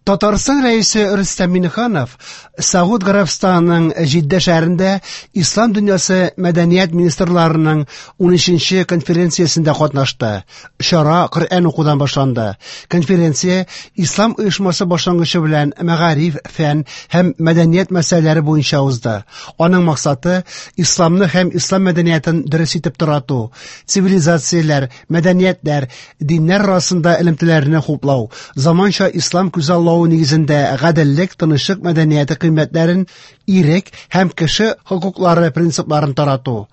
Татарстан Рәисе Рөстәм Миңнеханов Сауд Гарәбстанының Җиддә шәһәрендә Ислам дөньясы мәдәният министрларының 13нче конференциясендә катнашты. Чара Коръән укудан башланды. Конференция Ислам оешмасы башлангычы белән мәгариф, фән һәм мәдәният мәсьәләләре буенча узды. Аның максаты исламны һәм ислам мәдәниятен дөрес итеп тарату, цивилизацияләр, мәдәниятләр, диннәр арасында элемтәләрне хуплау, заманча ислам күзаллавы нигезендә гаделлек, тынычлык мәдәнияте кыйммәтләрен, ирек һәм кеше хокуклары принципларын тарату.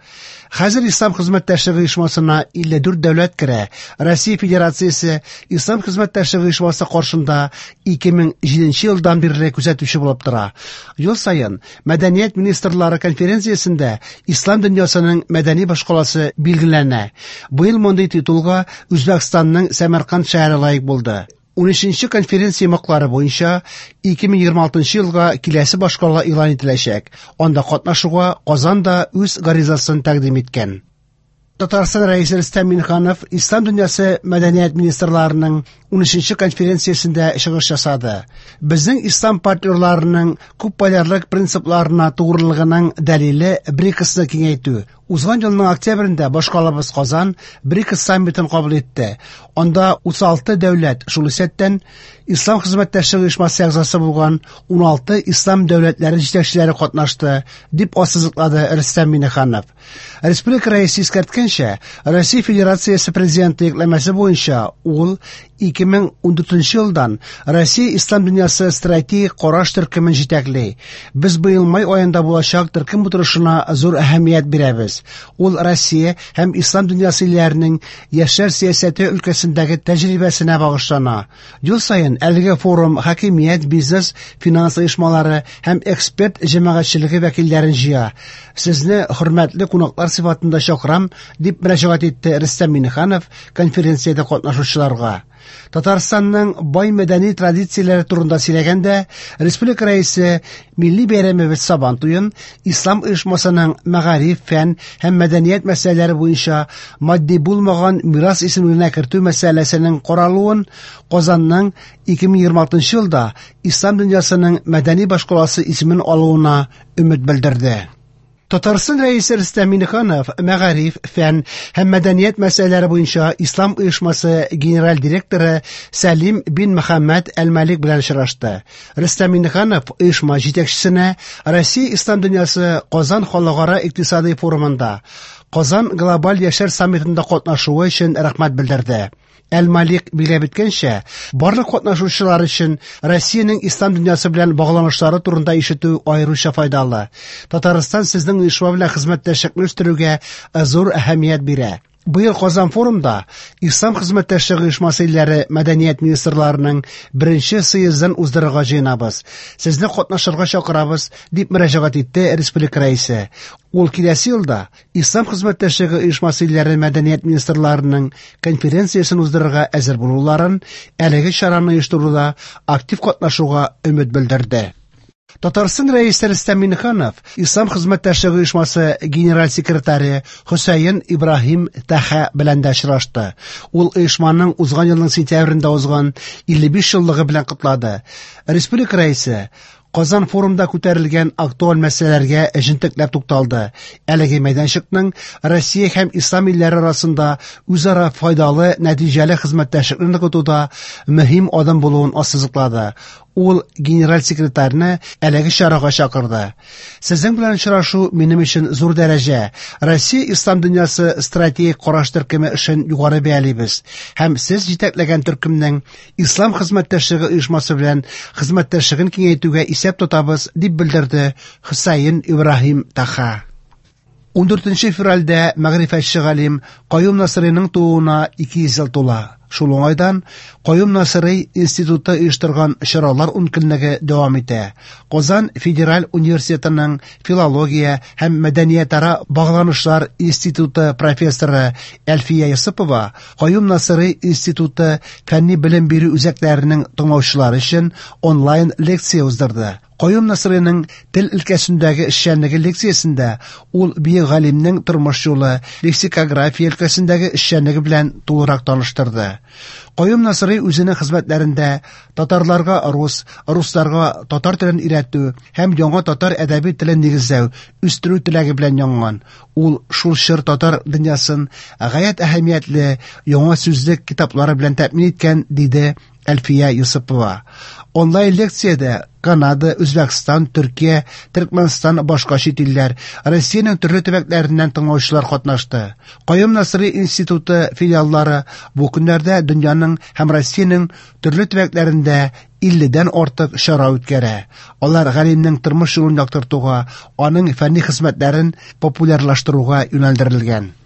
Хәзер Ислам хезмәттәшлеге оешмасына 54 дәүләт керә. Россия Федерациясе Ислам хезмәттәшлеге оешмасы каршында 2007 елдан бирле күзәтүче булып тора. Ел саен Мәдәният министрлары конференциясендә Ислам дөньясының мәдәни башкаласы билгеләнә. Быел мондый титулга Үзбәкстанның Сәмәрканд шәһәре лаек булды. 13нче конференция йомгаклары буенча 2026 елга киләсе башкала игълан ителәчәк. Анда катнашуга Казан да үз гаризасын тәкъдим иткән. Татарстан Рәисе Рөстәм Миңнеханов Ислам дөньясы мәдәният министрларының 13нче конференциясендә чыгыш ясады. Безнең ислам партнерларының күпполярлык принципларына тугрылыгының дәлиле БРИКСны киңәйтү. Узган елның октябрендә башкалабыз Казан БРИКС саммитын кабул итте. Анда 36 дәүләт, шул исәптән Ислам хезмәттәшлеге оешмасы әгъзасы булган 16 ислам дәүләтләре җитәкчеләре катнашты, дип ассызыклады Рөстәм Миңнеханов. Республика Рәисе искәрткәнчә, Россия Федерациясе Президенты йөкләмәсе буенча ул 2014 елдан Россия Ислам дөньясы стратегик караш төркемен җитәкли. Без быел май аенда булачак төркем утырышына зур әһәмият бирәбез. Ул Россия һәм Ислам дөньясы илләренең яшьләр сәясәте өлкәсендәге тәҗрибәсенә багышлана. Ел саен әлеге форум хакимият, бизнес, финанс оешмалары һәм эксперт җәмәгатьчелеге вәкилләрен җыя. Сезне хөрмәтле кунаклар сыйфатында чакырам, дип мөрәҗәгать итте Рөстәм Миңнеханов конференциядә катнашучыларга. Татарстанның бай мәдәни традицияләре турында сөйләгәндә, республика рәисе милли бәйрәмебез Сабан туен Ислам оешмасының мәгариф, фән һәм мәдәният мәсьәләләре буенча матди булмаган мирас исемлегенә кертү мәсьәләсенең каралуын Казанның 2026 елда Ислам дөньясының мәдәни башкаласы исемен алуына өмет белдерде. Татарстан Рәисе Рөстәм Миңнеханов мәгариф, фән һәм мәдәният мәсьәләләре буенча Ислам оешмасы генераль директоры Сәлим бин Мөхәммәд Әл-Малик белән очрашты. Рөстәм Миңнеханов оешма җитәкчесенә Россия Ислам дөньясы Казан халыкара икътисадый форумында Казан глобаль яшьләр саммитында катнашуы өчен рәхмәт белдерде. Әл-Малик билгеләп үткәнчә, барлык катнашучылар өчен Россиянең ислам дөньясы белән багланышлары турында ишетү аеруча файдалы. Татарстан сезнең оешма белән хезмәттәшлекне үстерүгә зур әһәмият бирә. Быел Казан форумда Ислам хезмәттәшлеге оешмасы илләре мәдәният министрларының беренче съездын уздырырга җыенабыз. Сезне катнашырга чакырабыз, дип мөрәҗәгать итте республика рәисе. Ул киләсе елда Ислам хезмәттәшлеге оешмасы илләре мәдәният министрларының конференциясен уздырырга әзер булуларын, әлеге чараны оештыруда актив катнашуга өмет белдерде. Татарстан Рәисе Рөстәм Миңнеханов Ислам хезмәттәшлеге оешмасы генераль секретаре Хөсәен Ибраһим Таха белән дә очрашты. Ул оешманың узган елның сентябрендә узган 55 еллыгы белән котлады. Республика Рәисе Казан форумда күтәрелгән актуаль мәсьәләләргә җентекләп тукталды. Әлеге мәйданчыкның Россия һәм ислам илләре арасында үзара файдалы, нәтиҗәле хезмәттәшлекне ныгытуда мөһим адым булуын ассызыклады. Ул генераль секретарьны әлеге чарага чакырды. Сезнең белән очрашу минем өчен зур дәрәҗә. Россия ислам дөньясы стратегик караш төркеме эшен югары бәялибез һәм сез җитәкләгән төркемнең Ислам хезмәттәшлеге оешмасы белән хезмәттәшлеген киңәйтүгә исәп тотабыз, дип белдерде Хөсәен Ибраһим Таха. 14 февральдә мәгърифәтче галим Каюм Насыйриның тууына 200 ел тула. Шул уңайдан Каюм Насыйри институты оештырган чаралар ункөнлеге дәвам итә. Казан федераль университетының филология һәм мәдәниятара багланышлар институты профессоры Әлфия Йосыпова Каюм Насыйри институты фәнни белем бирү үзәкләренең тыңлаучылары өчен онлайн лекция уздырды. Каюм Насыйриның тел өлкәсендәге эшчәнлеге лекциясендә ул бөек галимнең тормыш юлы, лексикография өлкәсендәге эшчәнлеге белән тулырак таныштырды. Каюм Насыйри үзенең хезмәтләрендә татарларга рус, русларга татар телен өйрәтү һәм яңа татар әдәби телен нигезләү, үстерү теләге белән янган. Ул шул чор татар дөньясын гаять әһәмиятле яңа сүзлек китаплары белән тәэмин иткән, диде Әлфия Йосыпова. Онлайн лекциядә Канада, Үзбәкстан, Төркия, Төркмәнстан, башка чит илләр, Россиянең төрле төбәкләреннән тыңлаучылар катнашты. Каюм Насыйри институты филиаллары бу көннәрдә дөньяның һәм Россиянең төрле төбәкләрендә 50дән артык чара үткәрә. Алар галимнең тормыш юлын яктыртуга, аның фәнни хезмәтләрен популярлаштыруга юнәлдерелгән.